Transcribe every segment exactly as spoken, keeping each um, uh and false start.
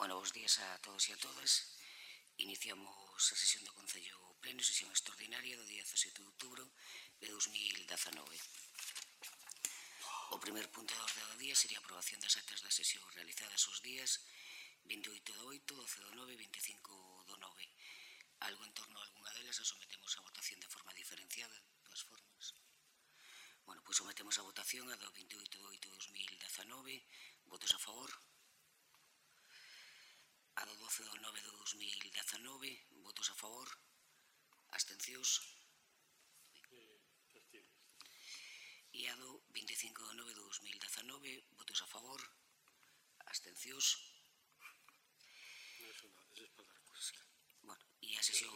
Bueno, bos días a todos e a todas. Iniciamos a sesión do Concello Pleno, sesión extraordinaria do día dezasete de outubro de dous mil dezanove. O primer punto da orde do día sería a aprobación das actas das sesións realizadas os días vinte e oito do oito, doce do nove e vinte e cinco do nove. Algo en torno a algunha delas a sometemos a votación de forma diferenciada, de todas formas. Bueno, pois sometemos a votación a do vinte e oito do oito de dous mil dezanove. Votos a favor. A do doce do nove de dous mil dezanove. Votos a favor. Abstencións. E a do vinte e cinco do nove de dous mil dezanove. Votos a favor. Abstencións. Bueno, e a sesión...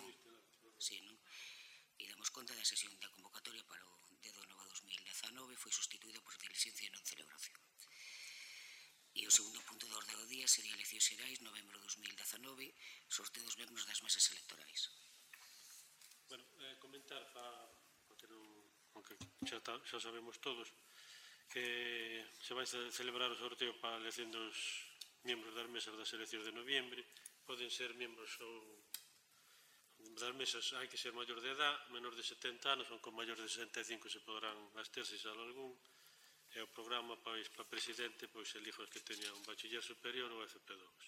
Sí, non? E damos conta da sesión da convocatoria para o dez do nove de dous mil dezanove foi sustituída por diligencia e non celebración. E o segundo punto da orde do día sería eleccións xerais, novembro de dous mil dezanove, sorteo dos membros das mesas electorais. Bueno, eh, comentar para que non, aunque xa, ta, xa sabemos todos que se vai celebrar o sorteo para a elección dos membros das mesas das eleccións de noviembre. Poden ser membros ou das mesas, hai que ser maior de edad, menor de setenta anos, ou con maior de sesenta e cinco se poderán absterse xa algún. E o programa, pois, para presidente, pois, elijo os que teñan un bachiller superior ou F P dous.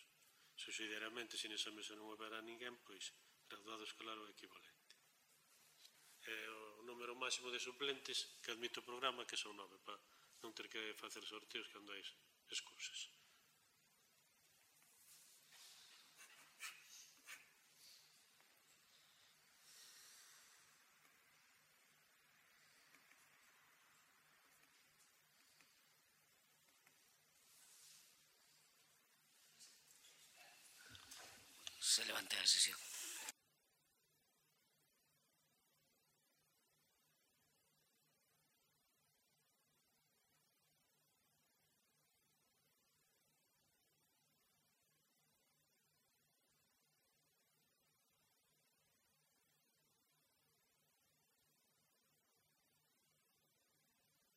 Subsidiariamente, se nesa mesa non houberá ninguén, pois, graduado escolar ou equivalente. E o número máximo de suplentes que admite o programa, que son nove, para non ter que facer sorteos cando hai excusas. Se levanta a sesión.